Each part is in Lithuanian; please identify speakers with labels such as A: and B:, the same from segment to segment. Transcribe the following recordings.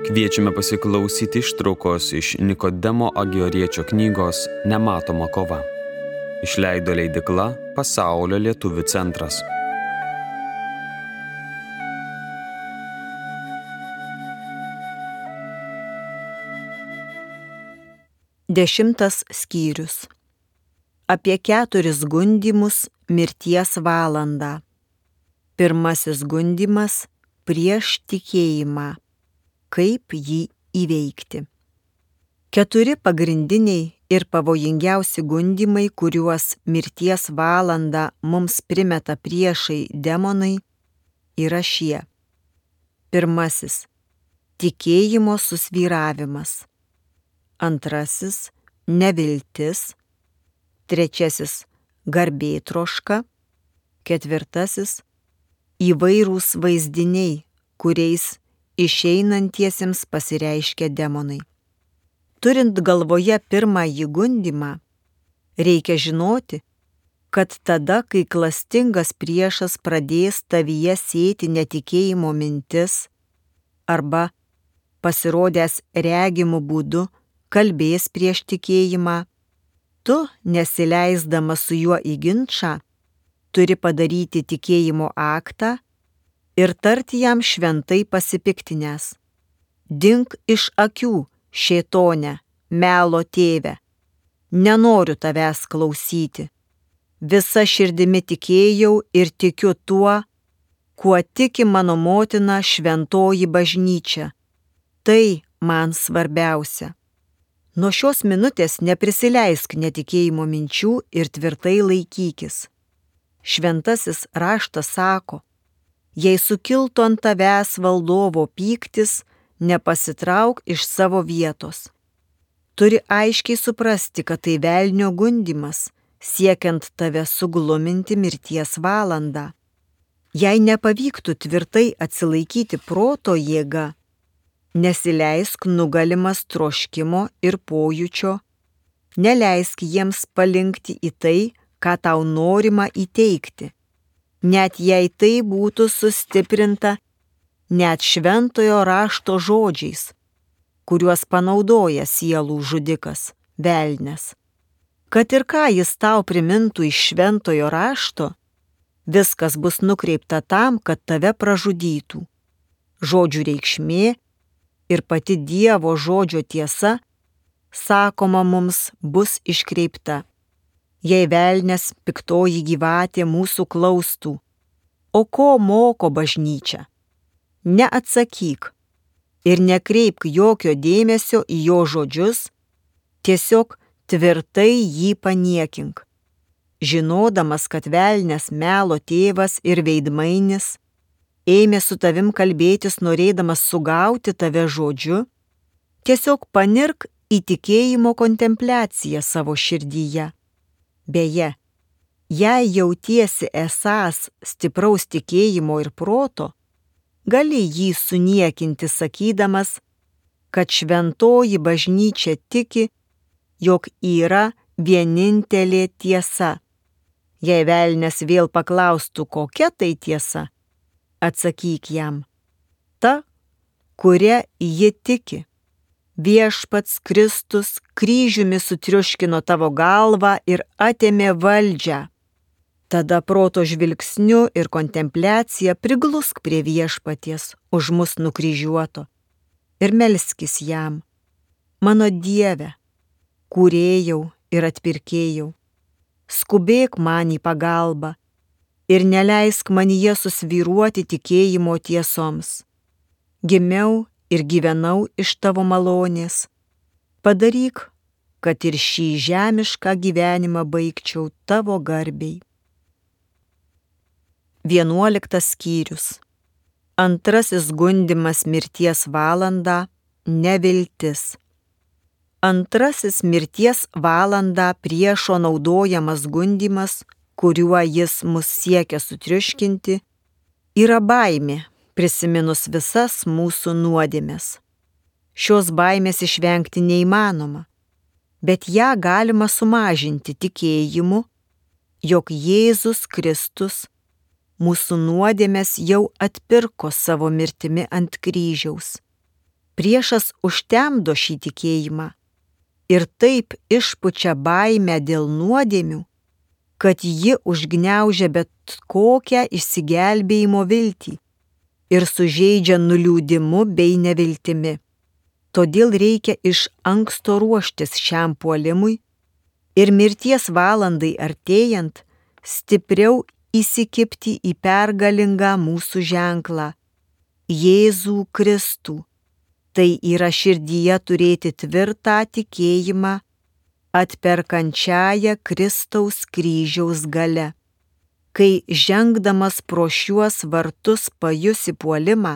A: Kviečiame pasiklausyti ištraukos iš Nikodemo Agioriečio knygos Nematoma kova. Išleido leidykla Pasaulio lietuvių centras.
B: Dešimtas skyrius. Apie 4 gundymus mirties valandą. Pirmasis gundymas prieš tikėjimą. Kaip jį įveikti. 4 pagrindiniai ir pavojingiausi gundymai, kuriuos mirties valandą mums primeta priešai demonai, yra šie. Pirmasis – tikėjimo susvyravimas. Antrasis – neviltis. Trečiasis – garbėtroška. Ketvirtasis – įvairūs vaizdiniai, kuriais išeinantiesiems pasireiškia demonai. Turint galvoje pirmąjį gundymą, reikia žinoti, kad tada, kai klastingas priešas pradės tavyje sėti netikėjimo mintis arba pasirodęs regimų būdu kalbės prieš tikėjimą, tu, nesileisdamas su juo į ginčą, turi padaryti tikėjimo aktą ir tarti jam šventai pasipiktinęs: dink iš akių, šėtone, melo tėve, nenoriu tavęs klausyti. Visa širdimi tikėjau ir tikiu tuo, kuo tiki mano motina šventoji bažnyčia. Tai man svarbiausia. Nuo šios minutės neprisileisk netikėjimo minčių ir tvirtai laikykis. Šventasis raštas sako: jei sukiltų ant tavęs valdovo pyktis, nepasitrauk iš savo vietos. Turi aiškiai suprasti, kad tai velnio gundymas, siekiant tave sugluminti mirties valandą. Jei nepavyktų tvirtai atsilaikyti proto jėga, nesileisk nugalimas troškimo ir pojūčio, neleisk jiems palinkti į tai, ką tau norima įteikti. Net jei tai būtų sustiprinta net šventojo rašto žodžiais, kuriuos panaudoja sielų žudikas, velnias. Kad ir ką jis tau primintų iš šventojo rašto, viskas bus nukreipta tam, kad tave pražudytų. Žodžių reikšmė ir pati Dievo žodžio tiesa, sakoma, mums bus iškreipta. Jei velnias, piktoji gyvatė, mūsų klaustų: o ko moko bažnyčia? Neatsakyk ir nekreipk jokio dėmesio į jo žodžius, tiesiog tvirtai jį paniekink. Žinodamas, kad velnias, melo tėvas ir veidmainis, ėmė su tavim kalbėtis norėdamas sugauti tave žodžiu, tiesiog panirk į tikėjimo kontempliaciją savo širdyje. Beje, jei jautiesi esąs stipraus tikėjimo ir proto, gali jį suniekinti sakydamas, kad šventoji bažnyčia tiki, jog yra vienintelė tiesa. Jei velnias vėl paklaustų, kokia tai tiesa, atsakyk jam: ta, kuria ji tiki. Viešpats Kristus kryžiumi sutriuškino tavo galvą ir atėmė valdžią. Tada proto žvilgsniu ir kontempliacija priglusk prie viešpaties už mus nukryžiuoto ir melskis jam: mano Dieve, kūrėjau ir atpirkėjau, skubėk man į pagalbą ir neleisk manyje susvyruoti tikėjimo tiesoms. Gimiau ir gyvenau iš tavo malonės. Padaryk, kad ir šį žemišką gyvenimą baigčiau tavo garbei. 11 skyrius. Antrasis gundymas mirties valandą – neviltis. Antrasis mirties valandą priešo naudojamas gundymas, kuriuo jis mus siekia sutriuškinti, yra baimė, prisiminus visas mūsų nuodėmes. Šios baimės išvengti neįmanoma, bet ją galima sumažinti tikėjimu, jog Jėzus Kristus mūsų nuodėmes jau atpirko savo mirtimi ant kryžiaus. Priešas užtemdo šį tikėjimą ir taip išpučia baimę dėl nuodėmių, kad ji užgniaužia bet kokią išsigelbėjimo viltį ir sužeidžia nuliūdimu bei neviltimi. Todėl reikia iš anksto ruoštis šiam puolimui ir mirties valandai artėjant stipriau įsikibti į pergalingą mūsų ženklą – Jėzų Kristų. Tai yra širdyje turėti tvirtą tikėjimą atperkančiąją Kristaus kryžiaus galia. Kai žengdamas pro šiuos vartus pajusi puolimą,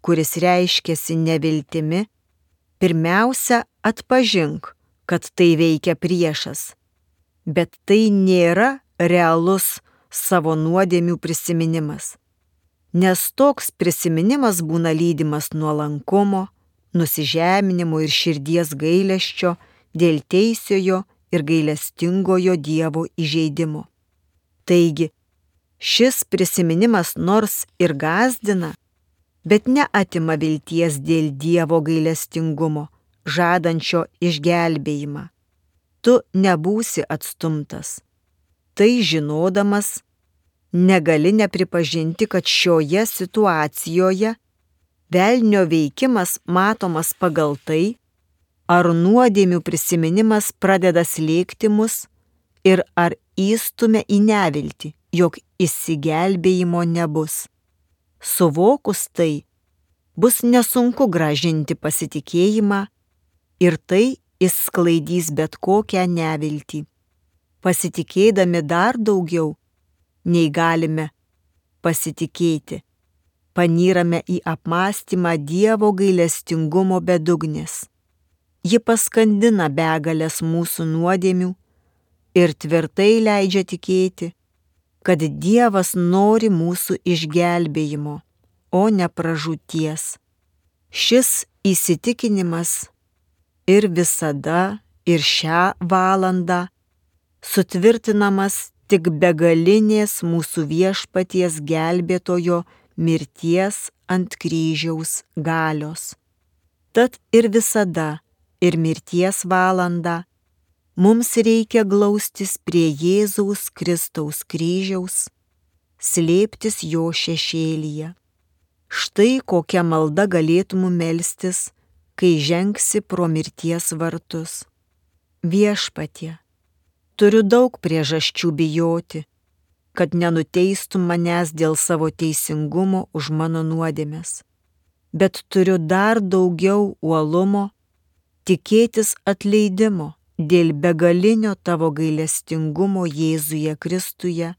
B: kuris reiškiasi neviltimi, pirmiausia atpažink, kad tai veikia priešas, bet tai nėra realus savo nuodėmių prisiminimas, nes toks prisiminimas būna lydimas nuolankumo, nusižeminimo ir širdies gailesčio dėl teisiojo ir gailestingojo Dievo įžeidimo. Taigi, šis prisiminimas nors ir gąsdina, bet neatima vilties dėl Dievo gailestingumo, žadančio išgelbėjimą. Tu nebūsi atstumtas. Tai žinodamas, negali nepripažinti, kad šioje situacijoje velnio veikimas matomas pagal tai, ar nuodėmių prisiminimas pradeda slėgti mus ir ar įstumia į neviltį, jog išsigelbėjimo nebus. Suvokus tai, bus nesunku grąžinti pasitikėjimą ir tai išsklaidys bet kokią neviltį. Pasitikėdami dar daugiau, nei galime pasitikėti, panyrame į apmąstymą Dievo gailestingumo bedugnės. Ji paskandina begalės mūsų nuodėmių ir tvirtai leidžia tikėti, kad Dievas nori mūsų išgelbėjimo, o ne pražūties. Šis įsitikinimas ir visada, ir šią valandą sutvirtinamas tik begalinės mūsų Viešpaties gelbėtojo mirties ant kryžiaus galios. Tad ir visada, ir mirties valandą mums reikia glaustis prie Jėzaus Kristaus kryžiaus, slėptis jo šešėlyje. Štai kokia malda galėtum melstis, kai žengsi pro mirties vartus. Viešpatie, turiu daug priežasčių bijoti, kad nenuteistum manęs dėl savo teisingumo už mano nuodėmes, bet turiu dar daugiau uolumo tikėtis atleidimo dėl begalinio tavo gailestingumo Jėzuje Kristuje,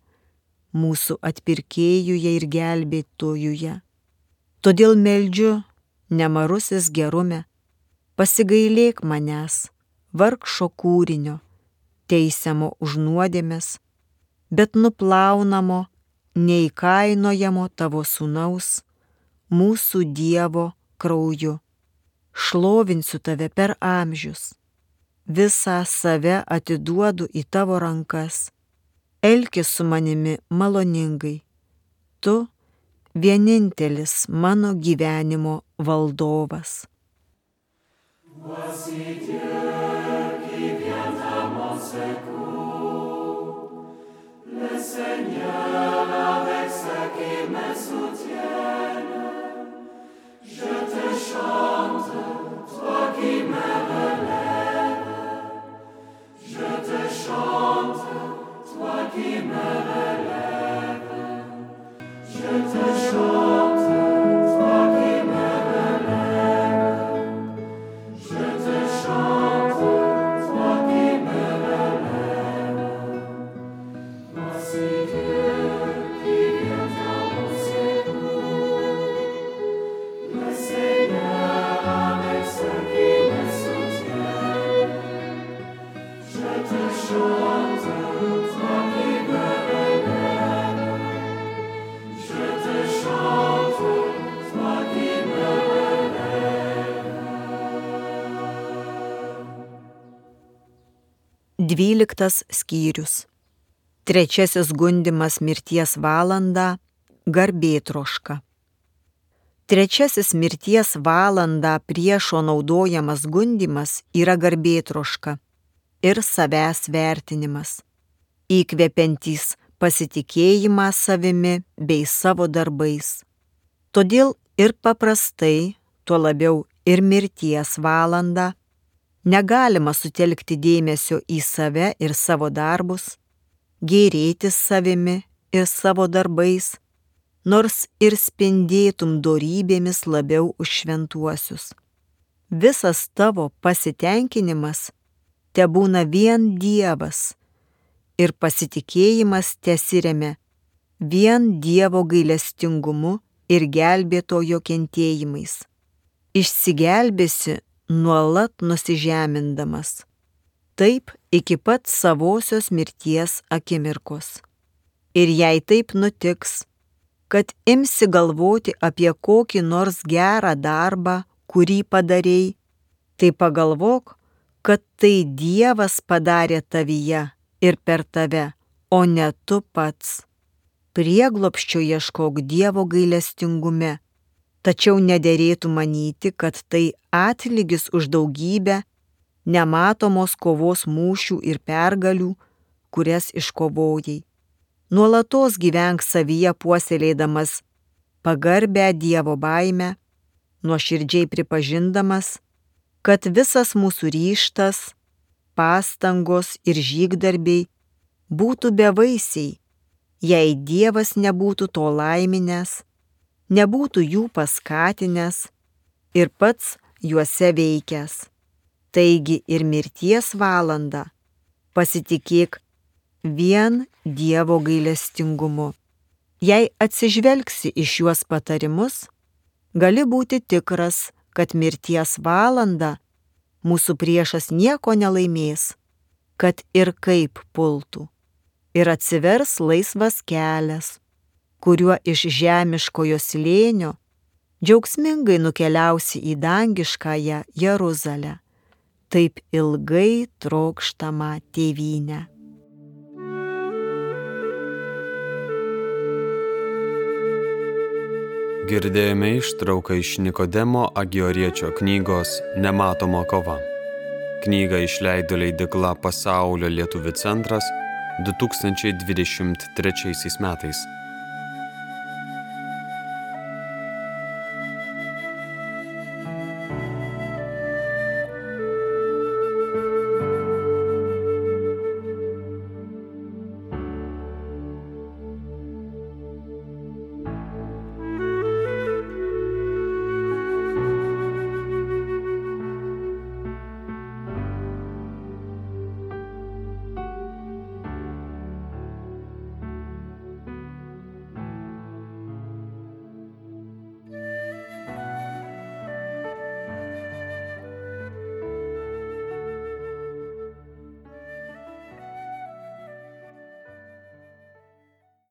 B: mūsų atpirkėjuje ir gelbėtojuje. Todėl meldžiu, nemarusis gerume, pasigailėk manęs, vargšo kūrinio, teisiamo už nuodėmes, bet nuplaunamo, neįkainojamo tavo sūnaus, mūsų Dievo krauju. Šlovinsiu tave per amžius. Visą save atiduodu į tavo rankas. Elkis su manimi maloningai. Tu vienintelis mano gyvenimo valdovas. Dvyliktas skyrius. Trečiasis gundymas mirties valandą – garbėtroška. Trečiasis mirties valandą priešo naudojamas gundymas yra garbėtroška ir savęs vertinimas, įkvepiantys pasitikėjimą savimi bei savo darbais. Todėl ir paprastai, tuo labiau ir mirties valandą, negalima sutelkti dėmesio į save ir savo darbus, gėrėtis savimi ir savo darbais, nors ir spindėtum dorybėmis labiau už šventuosius. Visas tavo pasitenkinimas tebūna vien Dievas ir pasitikėjimas tesiremia vien Dievo gailestingumu ir gelbėtojo kentėjimais. Išsigelbėsi nuolat nusižemindamas. Taip iki pat savosios mirties akimirkos. Ir jei taip nutiks, kad imsi galvoti apie kokį nors gerą darbą, kurį padarei, tai pagalvok, kad tai Dievas padarė tavyje ir per tave, o ne tu pats. Prieglobsčio ieškok Dievo gailestingume, tačiau nederėtų manyti, kad tai atlygis už daugybę nematomos kovos mūšių ir pergalių, kurias iškovojai. Nuolatos gyvenk savyje puoselėdamas pagarbę Dievo baimę, nuoširdžiai pripažindamas, kad visas mūsų ryžtas, pastangos ir žygdarbiai būtų bevaisiai, jei Dievas nebūtų to laiminęs, nebūtų jų paskatinęs ir pats juose veikęs. Taigi ir mirties valandą pasitikėk vien Dievo gailestingumu. Jei atsižvelgsi į šiuos patarimus, gali būti tikras, kad mirties valandą mūsų priešas nieko nelaimės, kad ir kaip pultų. Ir atsivers laisvas kelias, kuriuo iš žemiškojo slėnio džiaugsmingai nukeliausi į dangiškąją Jeruzalę, taip ilgai trokštamą tėvynę.
A: Girdėjome ištrauką iš Nikodemo Agioriečio knygos Nematoma kova. Knygą išleido leidykla Pasaulio lietuvių centras 2023 metais.